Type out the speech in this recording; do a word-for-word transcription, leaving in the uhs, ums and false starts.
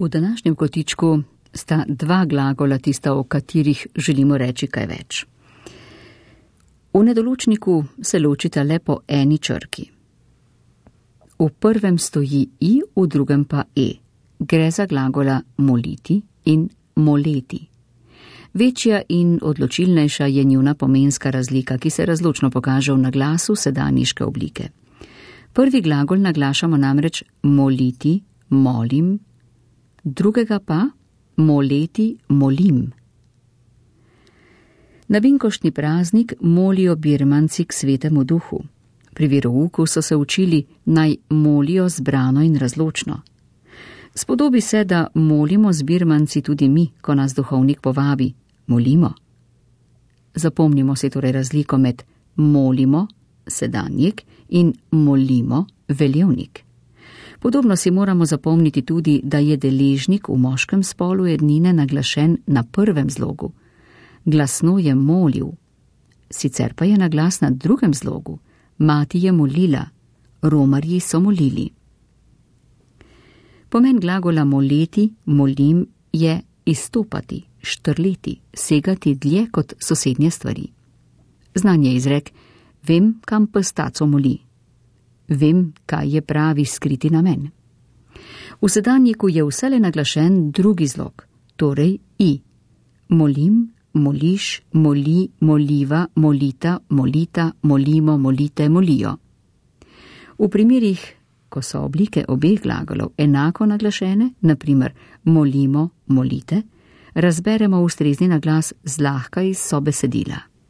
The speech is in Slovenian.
V današnjem kotičku sta dva glagola tista, o katerih želimo reči kaj več. V nedoločniku se ločita le po eni črki. V prvem stoji i, v drugem pa e. Gre za glagola moliti in moleti. Večja in odločilnejša je njuna pomenska razlika, ki se razločno pokaže v naglasu sedanjiške oblike. Prvi glagol naglašamo namreč moliti, molim, drugega pa moleti, molim. Na binkoštni praznik molijo birmanci k svetemu duhu. Pri verouku so se učili, naj molijo zbrano in razločno. Spodobi se, da molimo z birmanci tudi mi, ko nas duhovnik povabi. Molimo. Zapomnimo si torej razliko med molimo, sedanjik, in molimo, veljevnik. Podobno si moramo zapomniti tudi, da je deležnik v moškem spolu ednine naglašen na prvem zlogu. Glasno je molil. Sicer pa je naglas na drugem zlogu. Mati je molila, romarji so molili. Pomen glagola moleti, molim je izstopati, štrleti, segati dlje kot sosednje stvari. Znan je izrek, vem, kam pes taco moli. Vem, kaj je pravi skriti namen. V sedanjiku je vsele naglašen drugi zlog, torej i. Molim, moliš, moli, moliva, molita, molita, molimo, molite, molijo. V primerih, ko so oblike obeh glagolov enako naglašene, na primer molimo, molite, razberemo ustrezni naglas zlahka iz sobesedila.